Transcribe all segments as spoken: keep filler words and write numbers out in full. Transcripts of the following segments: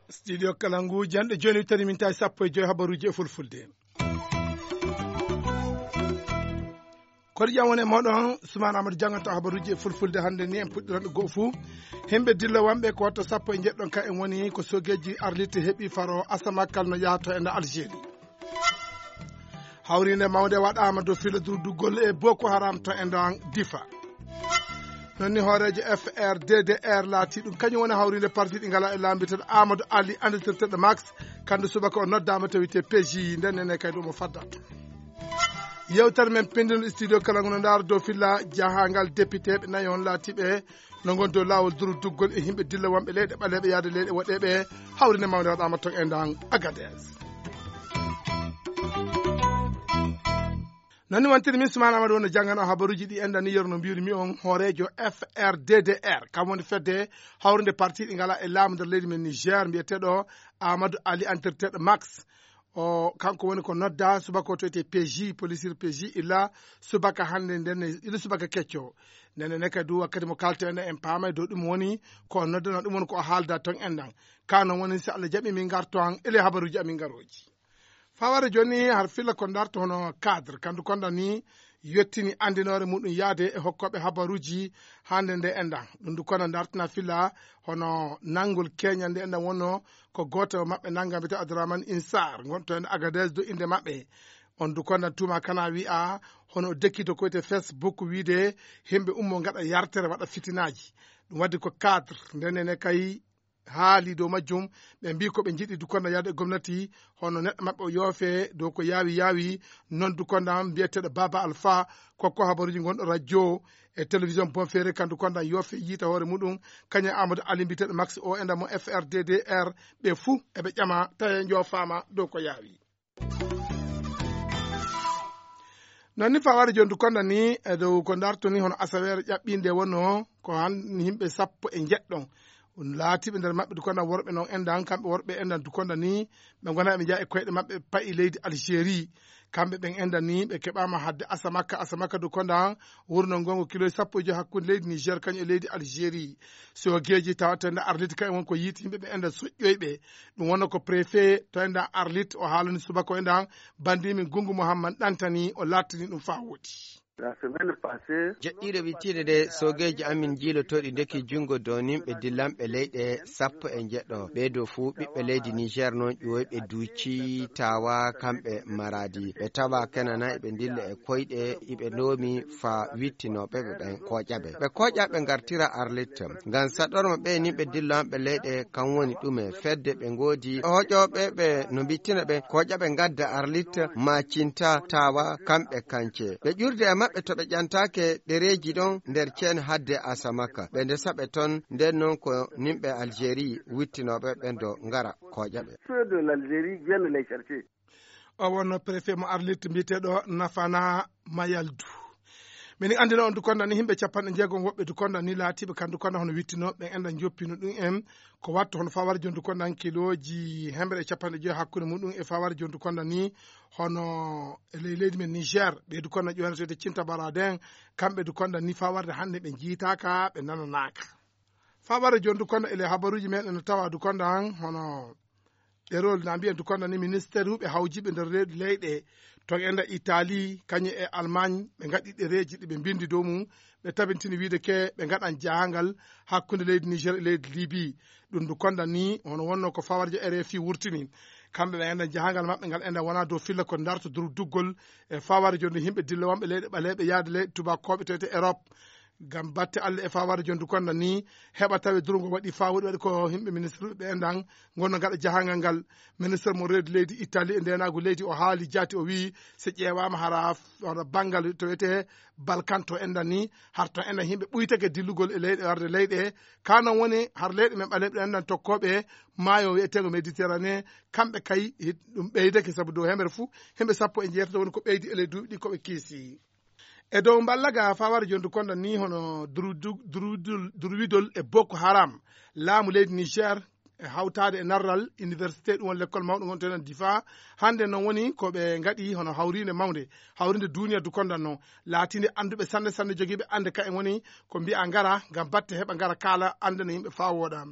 Studio Kalangu, janɗe jooni tari min tawi sappo e joy habaruuji e fulfulde. Koɗo jam woni e mooɗon, Sumaan Amadou jannganto habaruuji e fulfulde hannde ni en puɗɗiranɗo goo fuu. Himɓe dillowamɓe ko watta sappo e njeɗɗon ka en woni ko sogeeji arlitte heɓi faro Asamakal no yahato e nder Algérie. Hawriinde mawnde waɗaama dow filo durduggol e Boko Haram to e nder Difa. Non ni hooreejo F R D D R laati ɗum kañum woni hawriinde parti ɗi ngala e laambi tan Amadou Ali anditirteɗo Max, kandu subaka o noddaama to wiyetee P J, nden nene kay ɗum o faddat. Yewtere men pindino studio kala ngono ndaara dow filla jahangal député ɓe nayi on laatiɓe no ngon dow laawol durduggol e himɓe dilla wonɓe leyɗe ɓaleeɓe yaade leyɗe woɗeeɓe. Hawriinde mawnde waɗaama ton e ndan Agadez. Nani wantiri min Sumaana Amadu wonno janngano habaruuji ɗi enɗan ni yeru no mbiyri mi on hooreejo F R D D R, kam woni fedde hawrinde parti ɗi ngala e laamu nder leydi men Niger, mbiyeteeɗo Amadou Ali andirteeɗo Max. O kanko woni ko nodda subaka o to wiyetee P J, polisir P J, illa subaka hannde nden, illa subaka kecco. Nden ne kadi wakkati mo kalten en paamay dow ɗum woni ko o noddana, ɗum woni ko o haalda ton enɗan. Ka non woni, so Allah jaɓi, min ngarto han ele habaruuji amin ngarooji. Faware jooni har filla ko darto hono cadre, kandu konda ni yottini andinoore muɗum yaade e hokkooɓe habaruuji hannde nde enɗan. Ɗum du konda dartina filla hono nangol keñal nde enɗan wonno ko gooto maɓɓe nanga mbiyetee Abdourahmane Insar, ngonto en Agadez do innde maɓɓe. On du konda tuma kana wi'a hono o dekki to ko wiyetee Facebook wiide himɓe ummo ngaɗa yartere waɗa fitinaaji. Ɗum waddi ko cadre nde nene kay haali dow majjum, ɓe mbii ko ɓe njiɗi du konda yaade e gomnati, hono neɗɗo maɓɓe o yoofe dow ko yaawi yaawi, non du konda mbiyeteeɗo Baba Alpha, kokko habaruuji ngonɗo radio e télévision Bonfere, kandu konda yoofe yiita hoore muɗum, kañum Amadou Ali mbiyeteeɗo Max o enɗan mo F R D D R, ɓe fuu eɓe ƴama tawi njoofaama dow ko yaawi. Non ni faware jooni du konda ni e dow ko darto ni hono asaweere ƴaɓɓinde wonno ko han himɓe sappo e njeɗɗon laatiiɓe nder maɓɓe du konda worɓe non enɗan, kamɓe worɓe enɗan du konda ni ɓe ngona ɓe njeya e koyɗe maɓɓe payi leydi Algérie. Kamɓe ɓen enɗan ni ɓe keɓaama hadde Asamaka, Asamaka du konda wurno ngongo kilo sappo e joy hakkunde leydi Niger kañum e leydi Algérie. Sogeeji tawata nder Arlit kañum woni ko yiiti yimɓe ɓe enɗan soƴƴoyɓe. Ɗum wonno ko préfet to enɗan Arlit o haalani subaka o enɗan, bandi min Gungu Muhammad Ɗantani o laatini ɗum faa woodi. La semaine passée, joɗɗiiɗo wittiinde nde, sogeeji amin jiilotooɗi ndeki junngo dow nimɓe dillanɓe leyɗe sappo e njeɗɗo. Ɓee ɗoo fuu ɓiɓɓe leydi Niger non ƴuwoyɓe Duuci, Tawa, kamɓe Maradi. Ɓe tawa kenana eɓe ndilla e koyɗe, iɓe ndoomi faa wittinooɓe ɓe ɓen kooƴa ɓe. Ɓe kooƴa ɓe ngartira Arlit. Ngam saɗorma ɓe nimɓe dillanɓe leyɗe, kan woni ɗume? Fedde ɓe ngoodi hoƴooɓe ɓe no mbittina ɓe, kooƴa ɓe ngadda Arlit, Macinta, Tawa, kamɓe kance. Ɓe ƴurde e maɓɓe to ɓe ƴantaake ɗereeji ɗon nder ceen hadde Asamaka. Ɓe ndesa ɓe ton, nden non ko nimɓe Algérie wittinooɓe ɓen do ngara kooƴa ɓe. Ceux de l'Algérie viennent les chercher. O wonno préfet mo Arlit mbiyeteeɗo Nafana Mayaldu. Min anndina on du konda ni himɓe capanɗe jeegom woɓɓe du konda ni laatiiɓe kan du konda hono wittinooɓe ɓen enɗan joppino ɗum en ko wattu hono faware jooni du konda kilooji hemre e capanɗe joy hakkunde muɗum e faware jooni du konda ni hono e ley leydi men Niger. Ɓe du konda ƴoynoteede Cinta Baraden, kamɓe du konda ni fawarde hannde ɓe njiitaaka, ɓe nananaaka. Faware jooni du konda e ley habaruuji meɗen no tawa du konda hono ɗerol na mbiyen du konda ni ministère uɓe hawjiɓe nder reedu leyɗe to enɗan Italie kañum e Allemagne ɓe ngaɗi ɗereeji ɗi ɓe mbindi dow mum. Ɓe tabintini wiide ke ɓe ngaɗan jahangal hakkunde leydi Niger e leydi Libye. Ɗum du konda ni hono wonno ko fawarjo R F I wurtini. Kamɓe ɓe enɗan jahangal maɓɓe ngal enɗan wona dow filla ko darto dur duggol e faware jooni himɓe dilla wonɓe leyɗe ɓaleeɓe yaade leyɗe tubakooɓe tewte Europe. Ngam batte Allah e faware jooni du konda ni heɓa tawe durgo waɗi faa woɗi waɗi ko himɓe ministre ɓe enɗan ngonno ngaɗa jahangal ngal. Ministre mo reedu leydi Italie e ndenaagu leydi o haali jaati o wii so ƴeewaama hara hono banngal to wiyetee Balkan to enɗan ni har to enɗan himɓe ɓuytake dillugol e leyɗe warde leyɗe. Ka non woni har leyɗe men ɓaleeɓe ɗo enɗan tokkooɓe maayo wiyeteego Méditerranée, kamɓe kay hi-, ɗum ɓeydake sabu dow hemere fuu himɓe sappo e jeetato woni ko ɓeydi e ley duuɓi ɗi ko ɓe kiisi. E dow mballaga faware jooni du konda ni hono duru-, du-, duru-, duru-, duruwidol e Boko Haram, laamu leydi Niger e hawtaade e narral université, ɗum woni lekkol mawɗo ngonteɗen difa. Hannde noon woni ko ɓe ngaɗi hono hawriinde mawnde, hawriinde duuniya dukondan noon, laatiinde annduɓe sanne sanne, jogiiɓe annde ka en woni ko mbiya ngara ngam batte heɓa ngara kaala anndana yimɓe faa wooɗa.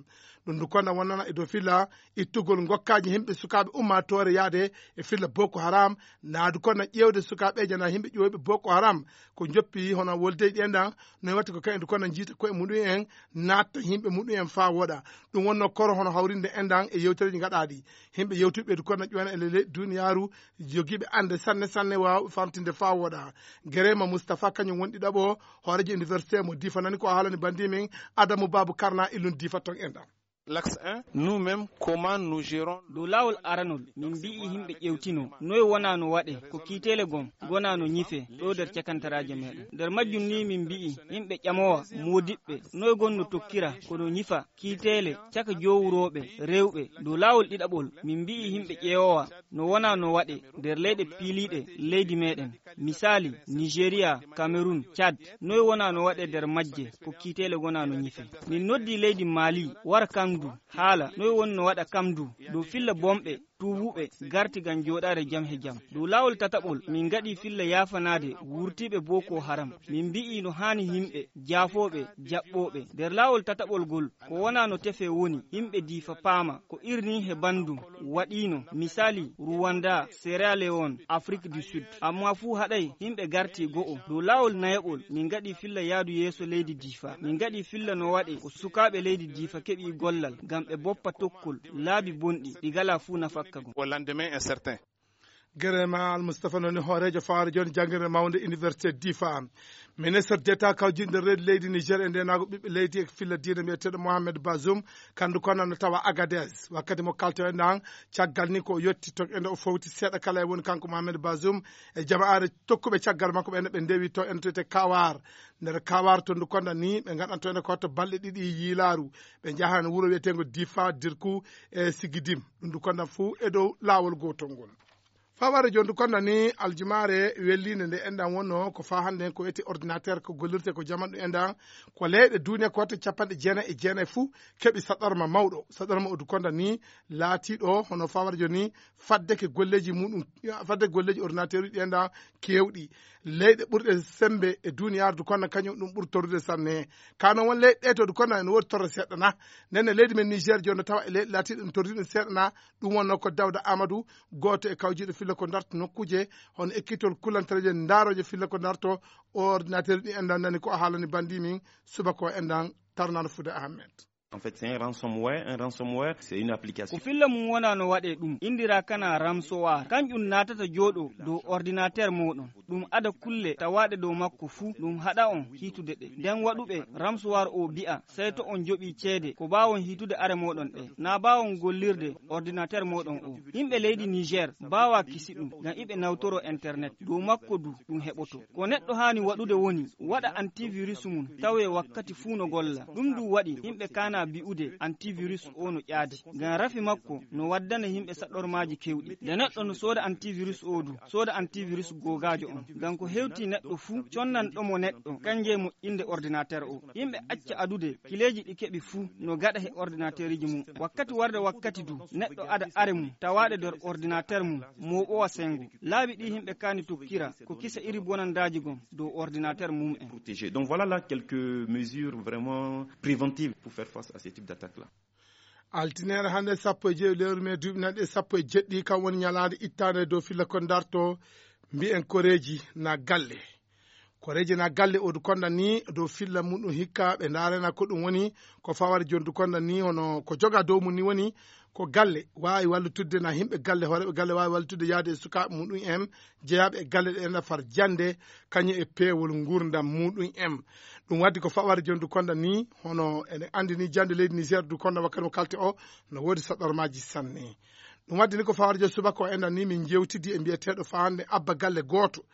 Ɗum dukondan wonnana e dow filla ittugol ngokkaaji yimɓe sukaaɓe ummaatoore yaade e filla Boko Haram, naadu kono ƴeewde sukaaɓeeje na yimɓe ƴooyɓe Boko Haram ko njoppi hono wolde ɗi enɗan, no waɗti ko kayen kono njiita koye muɗum en, natta yimɓe muɗum en faa woɗa. Ɗum wonno koro hono hawrinde enɗan e yewtereeji ngaɗaaɗi. Yimɓe yewtuɓe du kono ƴoyna e lele duniyaaru, jogiiɓe annde sanne sanne waawɓe famtinde faa woɗa. Gerema Mustapha kañum woni ɗiɗaɓo hooreejo université mo difanani ko haalani bandi min Adamu Babu Karna illun difa ton enɗan. L'axe un, nous-mêmes, comment nous gérons. Dow laawol aranol, min mbi'i yimɓe ƴewtino noy wonaa no waɗe, ko kiiteele gom gonaa no ñife ɗo nder cakantaraaje meɗen. Nder majjum ni min mbi'i yimɓe ƴamowa moodiɓɓe noy gonno tokkira kono ñifa kiiteele caka jowurooɓe rewɓe. Dow laawol ɗiɗaɓol, min mbi'i yimɓe ƴeewowa no wonaa no waɗe nder leyɗe piiliiɗe leydi meɗen. Misaali, Nigeria, Cameroun, Tchad, noy wonaa no waɗe nder majje ko kiiteele gonaa no ñife. Min noddi leydi Mali wara kamdu haala noy woni no waɗa kamdu dow filla bomɓe tuubuɓe garti ngam jooɗaade jam he jam. Dow laawol tataɓol, min ngaɗi filla yaafanaade wurtiiɓe Boko Haram. Min mbi'i no haani yimɓe jaafooɓe jaɓɓooɓe. Nder laawol tataɓol ngol, ko wonaa no tefe woni, yimɓe difa paama ko irni he banndum waɗiino, misaali Rwanda, Sierra Leone, Afrique du Sud. Amma fuu haɗay yimɓe garti go'o. Dow laawol nayaɓol, min ngaɗi filla yaadu yeeso leydi difa. Min ngaɗi filla no waɗe ko sukaaɓe leydi difa keɓi gollal ngam ɓe boppa tokkol laabi bonɗi ɗi ngalaa fuu nafakka gom. Au lendemain incertain. Gere ma Almustafa noni hooreejo fawaare jooni janngirde mawnde université difa. Ministre d'état kawjinɗo reedu leydi Niger e ndenaago ɓiɓɓe leydi e filla diine mbiyeteeɗo Mohamed Bazoum, kandu kono no tawa Agadez. Wakkati mo kalto e nan, caggal ni ko o yetti to ende o fowti seeɗa kala e woni kanko Mohamed Bazoum e jama'aare tokkuɓe caggal makko ɓe ene ɓe ndewi to ene to wiyetee Kawar. Nder Kawar to ndu konda ni ɓe ngaɗanto ene ko to balɗe ɗiɗi yiilaaru. Ɓe njahan wuro wiyeteengo Difa, Dirku e Sigidim. Ɗum ndu konda fuu e dow laawol gootol ngol. Faware jooni ndu konda ni aljumaare welliinde nde enɗan wonno ko faa hannde ko wiyetee ordinateur ko gollirte ko jaman ɗum enɗan. Ko leyɗe duuniya ko watta capanɗe jeenayi e jeenayi fuu keɓi saɗarma mawɗo. Saɗarma o ndu konda ni laatiiɗo hono faware jooni faddeke golleeji muɗum, faddeke golleeji ordinateur uji ɗi enɗan keewɗi. Leyɗe ɓurɗe semmbe e duuniyaaru ndu konda kañum ɗum ɓuri torrude sanne. Ka noon won leyɗe ɗe to ndu konda ene woodi torre seeɗa na. Nden ne leydi men Niger jooni no tawa e leyɗe laatiiɗe ɗum torrude ɗum seeɗa na. Ɗum wonno ko Dawda Amadou, gooto e kawjiiɗo filla ko ndarta nokkuuje hono ekkitol kulantareeje ndaarooje filla ko ndarto ordinateur ɗi enɗan nani ko a haalani bandi min subaka o enɗan tarnano Fuuta Ahmed. En fait, c'est un ransomware. Un ransomware, c'est une application. Ko filla mum wona no waɗe ɗum, indira kana ramsowar. Kanƴum naatata jooɗo dow ordinateur moɗon. Ɗum ada kulle tawaaɗe dow makko fuu, ɗum haɗa on hiitude ɗe. Nden waɗuɓe ramsowar o bi'a, sey to on joɓi ceede ko baawon hiitude are moɗon ɗe. Na baawon gollirde ordinateur moɗon o. Yimɓe leydi Niger baawa kisi ɗum, ngam iɓe nawtoro internet. Dow makko du ɗum heɓoto. Ko neɗɗo haani waɗude woni waɗa antivirus mum tawe wakkati fuu no golla. Ɗum du waɗi yimɓe kaana bi'ude antivirus o no ƴaadi. Ngam rafi makko no waddana yimɓe saɗormaaji kewɗi. Nde neɗɗo no sooda antivirus o du, sooda antivirus googaajo on. Ngam ko hewti neɗɗo fuu, connanɗo mo neɗɗo, kanje moƴƴinde ordinateur o. Yimɓe acca adude kileeji ɗi keɓi fuu no gaɗa he ordinateuriji mum. Wakkati warde wakkati du, neɗɗo ada are mum, tawaaɗe nder ordinateur mum, mooɓowa sengo. Laabi ɗi yimɓe kaani tokkira, ko kisa iri bonandaaji gom dow ordinateur mum en. Protégé. Donc voilà là quelques mesures vraiment préventives pour faire face à ce type d'attaque-là. Altine hannde sappo e jeeɗi lewru mee duuɓi nanɗe sappo e jeɗɗi, kam woni ñalaande ittaande dow filla ko ndarto, mbiyen koreeji na galle. Koreeji na galle o du konda ni dow filla muɗum hikka ɓe ndaarena ko ɗum woni, ko faware jooni du konda ni hono ko joga dow mum ni woni ko galle waawi wallitudde na yimɓe galle, hooreeɓe galle waawi wallitudde yaade e sukaaɓe muɗum en jeyaaɓe e galle ɗe ena far jannde, kañum e peewol nguurndam muɗum en. Ɗum waɗi ko faware jooni du konda ni, hono eɗen anndi ni jannde leydi Niger du konda wakkati mo kalte o no woodi saɗormaaji sanne. Ɗum waɗi ni ko faware jooni subaka o enɗan ni min njeewtidi e mbiyeteeɗo faa hannde abba galle gooto.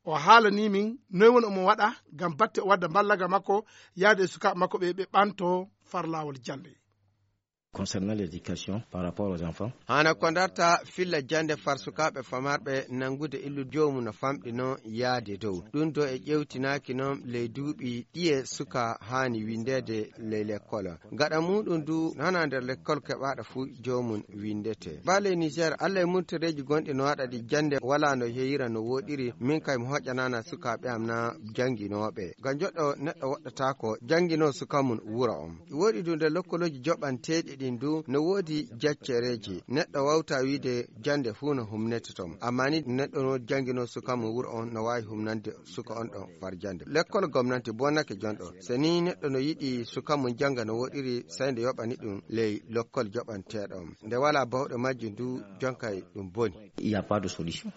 O haalanii min noy woni omo waɗa ngam batte o wadda mballaga makko yaade e sukaaɓe makko ɓe, ɓe ɓanto far laawol jannde. Concernant l'éducation par rapport aux enfants, hana ko darta filla jannde far sukaaɓe famarɓe nanngude illu joomum no famɗi noon yaade dow ɗum do e ƴeewtinaaki noon ley duuɓi ɗiye suka haani winndeede ley lekkol. Gaɗa muuɗum du hana nder lekkol keɓaaɗo fuu joomum winndete. Bale Niger, Allah e murtoreeji gonɗi no waɗa ɗi jannde walaa no yeyira no wooɗiri, min kay mi hoƴanaana sukaaɓe am na jannginooɓe. Ngam joɗɗo neɗɗo woɗɗataako jannginoo suka mum wuro on. Woɗi du nde lokkolooji joɓanteeɗi ɗin du no woodi jaccereeji. Neɗɗo wawta wiide jannde fuu no humnete ton. Amma ni neɗɗo no jannginoo suka mum wuro on no waawi humnande suka on ɗon far jannde. Lekkol gomnanti bonnake jonɗo. So ni neɗɗo no yiɗi suka mum jannga no woɗiri, sey nde yoɓani ɗum ley lokkol joɓanteeɗo on. Nde walaa bawɗo majjum du, jonkay ɗum boni. Il n'y a pas de solution.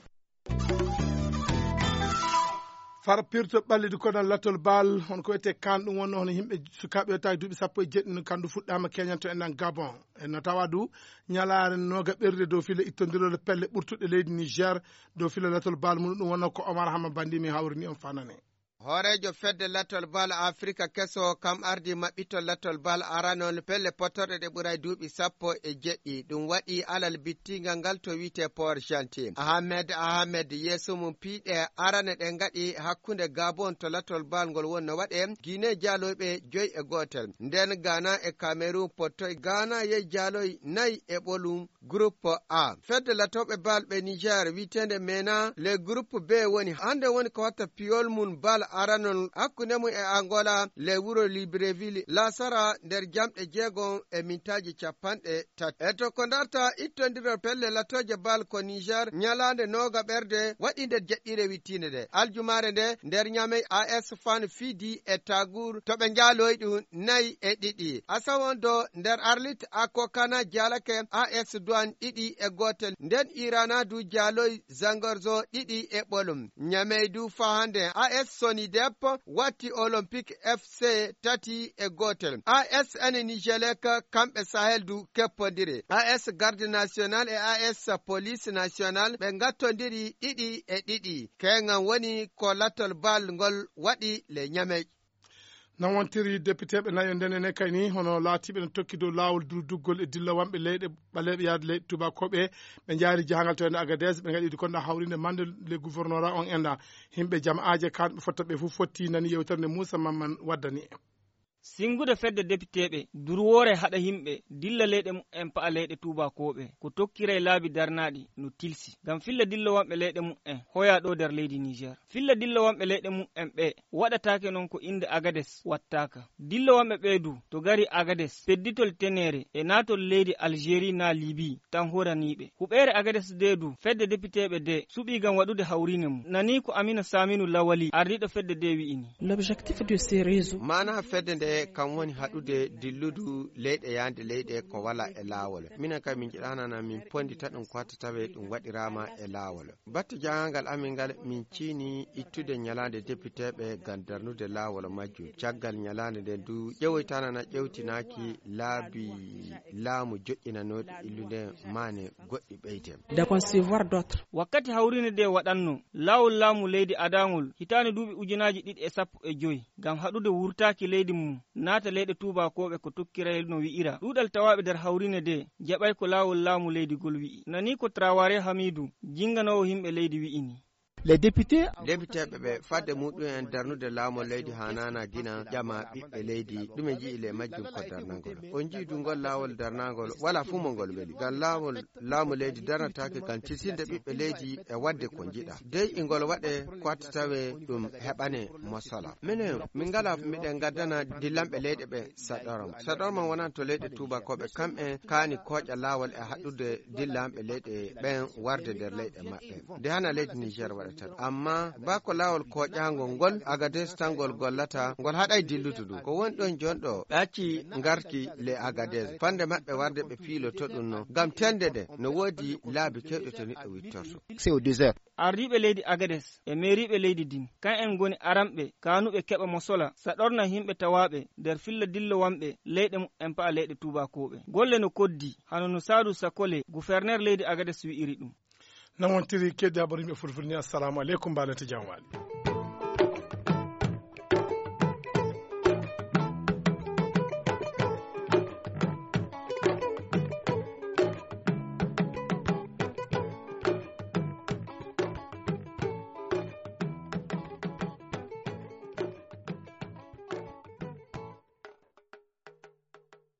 Far pirto ɓallidi kono latol bal, on ko wiyetee kan, ɗum wonno hono yimɓe sukaaɓe yottaaki duuɓi sappo e jeɗɗi, no kandu fuɗɗaama keñanto en nan Gabon. En no tawa du ñalaare nooga ɓerde dow file ittondirol pelle ɓurtuɗe leydi Niger, dow file latol bal mum, ɗum wonno ko Omar Hama Bandi mi hawrini on fanane. Hooreejo fedde latol bal Afrika keso kam ardi maɓɓitol latol bal aranol pelle pottorɗe ɗe ɓuray duuɓi sappo e jeɗɗi. Ɗum waɗi alal bittingal ngal to wiyetee Port Gentil. Ahmed Ahmed yeeso mum piiɗe arane ɗe ngaɗi hakkunde Gabon to latol bal ngol wonno waɗe Guinée jaaloyɓe joy e gootel. Nden Ghana e Cameroun pottoy. Ghana yey jaaloy nayi e ɓolum. Groupe A. Fedde latooɓe bal ɓe Niger wiyeteende mena le groupe B woni. Hannde woni ko watta piyol mum bal aranol hakkunde mum e Angola le wuro Libreville laasara nder jamɗe jeegom e mintaaji capanɗe tati. E to ko darta ittondirol pelle latooje bal ko Niger ñalaande nooga ɓerde waɗi nder jeɗɗire wittiinde nde. Aljumaare nde nder Ñamey A S Fan Fidi e Tagour to ɓe njaaloyi ɗum nayi e ɗiɗi. Asawondo nder Arlit Akokana jaalake A S Douane ɗiɗi e gootel. Nden Irana du jaaloy Zangorzo ɗiɗi e ɓolum. Ñamey du fahande A S Sonidep watti Olympique F C tati e gootel. A S N Nijelek kamɓe Sahel du keppondiri. A S Garde National e A S Police National ɓe ngattondiri ɗiɗi e ɗiɗi. Keŋan woni ko latol bal ngol waɗi le Ñamey. Nan wontiri depiteeɓe nayo ndene ne kay ni, hono laatiiɓe no tokki dow laawol durduggol e dillowamɓe leyɗe ɓaleeɓe yaade leyɗe tuubakooɓe. Ɓe njaari jahangal to ende Agadez, ɓe ngaɗi kon ɗo hawrinde mande le gouvernorat on enda. Himɓe jama'aaje kan ɓe fotta ɓe fof fotti nani yewtere nde Moussa Mamman waddani. Sinngude fedde depiteeɓe, durwoore haɗa yimɓe dilla leyɗe mumen pa'a leyɗe tuubakooɓe, ko tokkiray laabi darnaaɗi no tilsi. Ngam filla dillowamɓe leyɗe mumen hoya ɗo nder leydi Niger. Filla dillowamɓe leyɗe mumen ɓe waɗataake noon ko innde Agades wattaaka. Dillowamɓe ɓee du to gari Agades, pedditol teneere e naatol leydi Algérie naa Libye tan horaniiɓe. Huɓeere Agades de du, fedde depiteeɓe de suɓii ngam waɗude hawriine mum. Nanii ko Amina Saminu Lawali, ardiiɗo fedde de wi'i ni. L'objectif de ces réseaux. Maana fedde nde kam woni haɗude dilludu leyɗe yaande leyɗe ko wala e laawol. Minen kay min njiɗaanana min pondita ɗum ko hatta tawe ɗum waɗiraama e laawol. Batte jahangal amin ngal min ciini ittude ñalaande depiteeɓe ngam darnude laawol majjum. Caggal ñalaande nden du ƴewoytanana ƴewtinaaki laabi laamu joƴƴinanooɗi illude maane goɗɗi ɓeyde. De concevoir d'autres. Wakkati hawriine de waɗanno, laawol laamu leydi adaangol hitaande duuɓi ujunaaji ɗiɗi e sappo e joy ngam haɗude wurtaaki leydi mum, naata leyɗe tuubakooɓe ko tokkiray no wi'ira. Ɗuuɗal tawaaɓe nder hawriine de jaɓay ko laawol laamu leydi gol wi'i. Nanii ko Traoré Hamidu, jinnganoowo yimɓe leydi wi'i ni. Les députés. Depiteeɓe ɓe fadde muɗum en darnude laawol leydi haanaana gina ƴama ɓiɓɓe leydi ɗume nji'i le majjum ko darnangol. On nji'i du ngol laawol darnangol wala fuu mo ngol weli. Ngam laawol laamu leydi darnataake ngam tisinde ɓiɓɓe leydi e waɗde ko njiɗa. Dey ingol waɗe ko watta tawe ɗum heɓane mo sola. Minen min ngala miɗen ngaddana dillanɓe leyɗe ɓe saɗorma. Saɗorma wonanto leyɗe tuubakooɓe kamɓe kaani kooƴa laawol e haɗɗude dillanɓe leyɗe ɓen warde nder leyɗe maɓɓe. Nde hana leydi Niger waɗata ɗum. Amma ba ko laawol kooƴaangol ngol Agades tan ngol gollata, ngol haɗay dillude ɗum. Ko woni ɗon jonɗo ɓe acci ngarki le Agades. Fande maɓɓe warde ɓe piiloto ɗum no. Ngam tende nde no woodi laabi kewɗe to neɗɗo wittorto. C'est au désert. Ardiiɓe leydi Agades e meeriiɓe leydi din, kan en ngoni aranɓe kaanuɓe keɓa mo sola saɗorna yimɓe tawaaɓe nder filla dillowanɓe leyɗe mumen pa'a leyɗe tuubakooɓe. Golle no koddi, hano no Saadu Sakole, guferner leydi Agades wi'iri ɗum. No wontiri keeddi habaru yimɓe fulfulde ni, assalamu aleykum, mbaɗen to jam waali.